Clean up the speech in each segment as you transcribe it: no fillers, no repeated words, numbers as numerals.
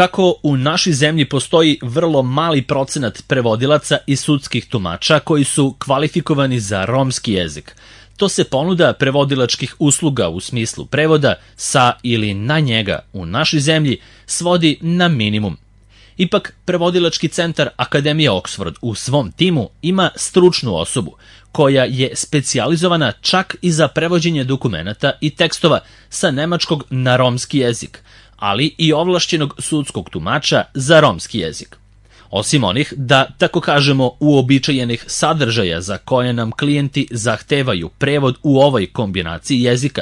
Kako u našoj zemlji postoji vrlo mali procenat prevodilaca i sudskih tumača koji su kvalifikovani za romski jezik, to se ponuda prevodilačkih usluga u smislu prevoda sa ili na njega u našoj zemlji svodi na minimum. Ipak, prevodilački centar Akademije Oxford u svom timu ima stručnu osobu koja je specijalizovana čak i za prevođenje dokumenata i tekstova sa nemačkog na romski jezik, ali i ovlašćenog sudskog tumača za romski jezik. Osim onih, da tako kažemo, uobičajenih sadržaja za koje nam klijenti zahtevaju prevod u ovoj kombinaciji jezika,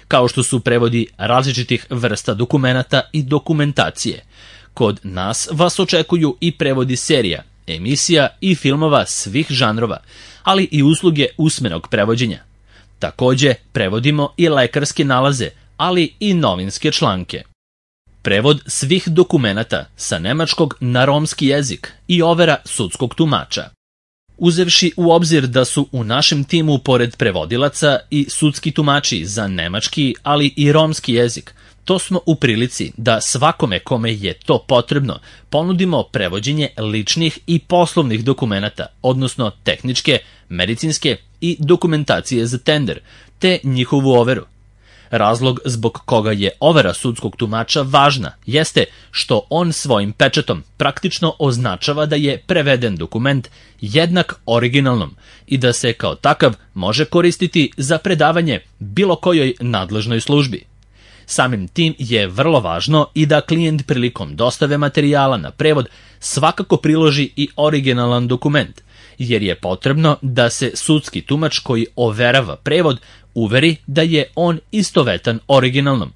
kao što su prevodi različitih vrsta dokumenata i dokumentacije. Kod nas vas očekuju i prevodi serija, emisija i filmova svih žanrova, ali i usluge usmenog prevođenja. Takođe, prevodimo i lekarske nalaze, ali i novinske članke. Prevod svih dokumenata sa nemačkog na romski jezik i overa sudskog tumača. Uzevši u obzir da su u našem timu pored prevodilaca i sudski tumači za nemački, ali i romski jezik, to smo u prilici da svakome kome je to potrebno ponudimo prevođenje ličnih i poslovnih dokumenata, odnosno tehničke, medicinske i dokumentacije za tender, te njihovu overu. Razlog zbog koga je overa sudskog tumača važna jeste što on svojim pečatom praktično označava da je preveden dokument jednak originalnom i da se kao takav može koristiti za predavanje bilo kojoj nadležnoj službi. Samim tim je vrlo važno i da klijent prilikom dostave materijala na prevod svakako priloži i originalan dokument, jer je potrebno da se sudski tumač koji overava prevod uveri da je on istovetan originalnom.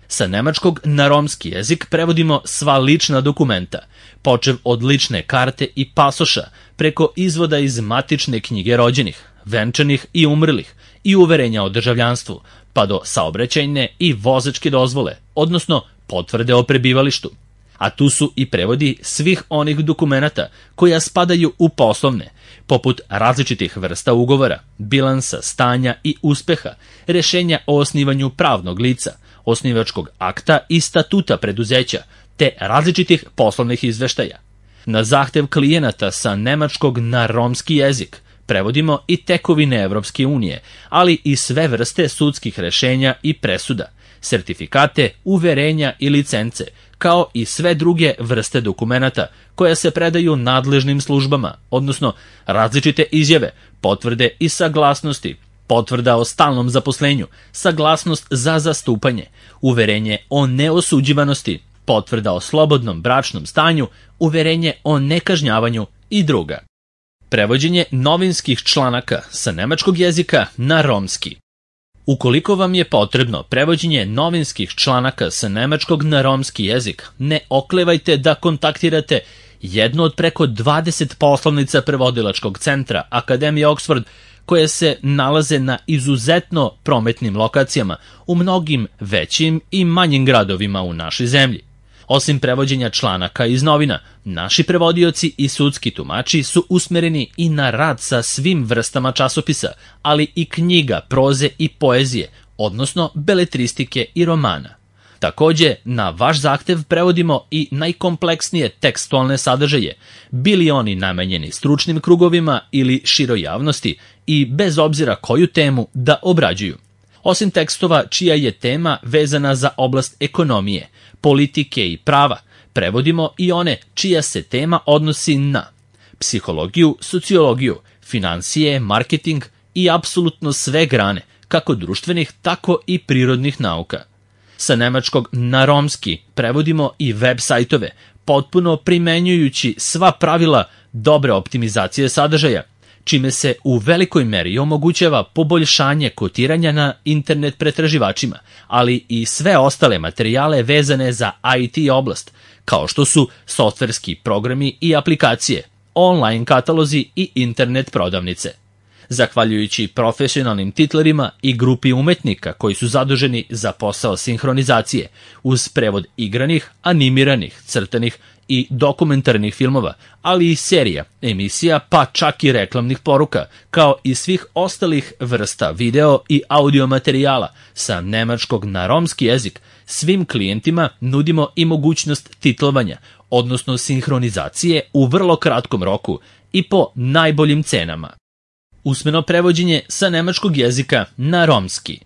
Sa nemačkog na romski jezik prevodimo sva lična dokumenta, počev od lične karte i pasoša, preko izvoda iz matične knjige rođenih, venčanih i umrlih i uverenja o državljanstvu, pa do saobraćajne i vozačke dozvole, odnosno potvrde o prebivalištu. A tu su i prevodi svih onih dokumenata koja spadaju u poslovne, poput različitih vrsta ugovora, bilansa, stanja i uspeha, rešenja o osnivanju pravnog lica, osnivačkog akta i statuta preduzeća, te različitih poslovnih izveštaja. Na zahtev klijenata sa nemačkog na romski jezik prevodimo i tekovine Evropske unije, ali i sve vrste sudskih rešenja i presuda, sertifikate, uverenja i licence, kao i sve druge vrste dokumenata koja se predaju nadležnim službama, odnosno različite izjave, potvrde i saglasnosti, potvrda o stalnom zaposlenju, saglasnost za zastupanje, uverenje o neosuđivanosti, potvrda o slobodnom bračnom stanju, uverenje o nekažnjavanju i druga. Prevođenje novinskih članaka sa nemačkog jezika na romski. Ukoliko vam je potrebno prevođenje novinskih članaka sa nemačkog na romski jezik, ne oklevajte da kontaktirate jednu od preko 20 poslovnica prevodilačkog centra Akademije Oxford, koje se nalaze na izuzetno prometnim lokacijama u mnogim većim i manjim gradovima u našoj zemlji. Osim prevođenja članaka iz novina, naši prevodioci i sudski tumači su usmereni i na rad sa svim vrstama časopisa, ali i knjiga, proze i poezije, odnosno beletristike i romana. Takođe, na vaš zahtev prevodimo i najkompleksnije tekstualne sadržaje, bili oni namenjeni stručnim krugovima ili široj javnosti i bez obzira koju temu da obrađuju. Osim tekstova čija je tema vezana za oblast ekonomije, politike i prava, prevodimo i one čija se tema odnosi na psihologiju, sociologiju, finansije, marketing i apsolutno sve grane, kako društvenih, tako i prirodnih nauka. Sa nemačkog na romski prevodimo i web sajtove, potpuno primenjujući sva pravila dobre optimizacije sadržaja, čime se u velikoj meri omogućava poboljšanje kotiranja na internet pretraživačima, ali i sve ostale materijale vezane za IT oblast, kao što su softverski programi i aplikacije, online katalozi i internet prodavnice. Zahvaljujući profesionalnim titlerima i grupi umetnika koji su zaduženi za posao sinhronizacije, uz prevod igranih, animiranih, crtanih i dokumentarnih filmova, ali i serija, emisija, pa čak i reklamnih poruka, kao i svih ostalih vrsta video i audio materijala sa nemačkog na romski jezik, Svim klijentima nudimo i mogućnost titlovanja, odnosno sinhronizacije u vrlo kratkom roku i po najboljim cenama. Usmeno prevođenje sa nemačkog jezika na romski.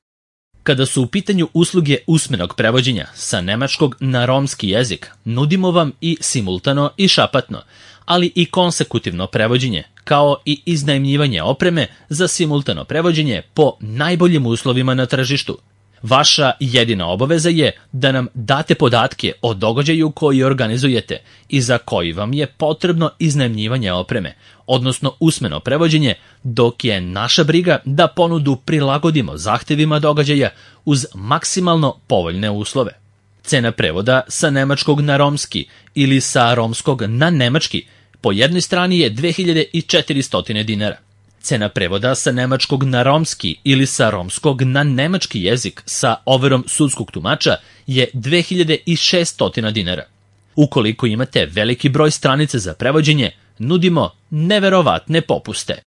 Kada su u pitanju usluge usmenog prevođenja sa nemačkog na romski jezik, nudimo vam i simultano i šapatno, ali i konsekutivno prevođenje, kao i iznajmljivanje opreme za simultano prevođenje po najboljim uslovima na tržištu. Vaša jedina obaveza je da nam date podatke o događaju koji organizujete i za koji vam je potrebno iznajmljivanje opreme, odnosno usmeno prevođenje, dok je naša briga da ponudu prilagodimo zahtevima događaja uz maksimalno povoljne uslove. Cena prevoda sa nemačkog na romski ili sa romskog na nemački po jednoj strani je 2400 dinara. Cena prevoda sa nemačkog na romski ili sa romskog na nemački jezik sa overom sudskog tumača je 2600 dinara. Ukoliko imate veliki broj stranica za prevođenje, nudimo neverovatne popuste.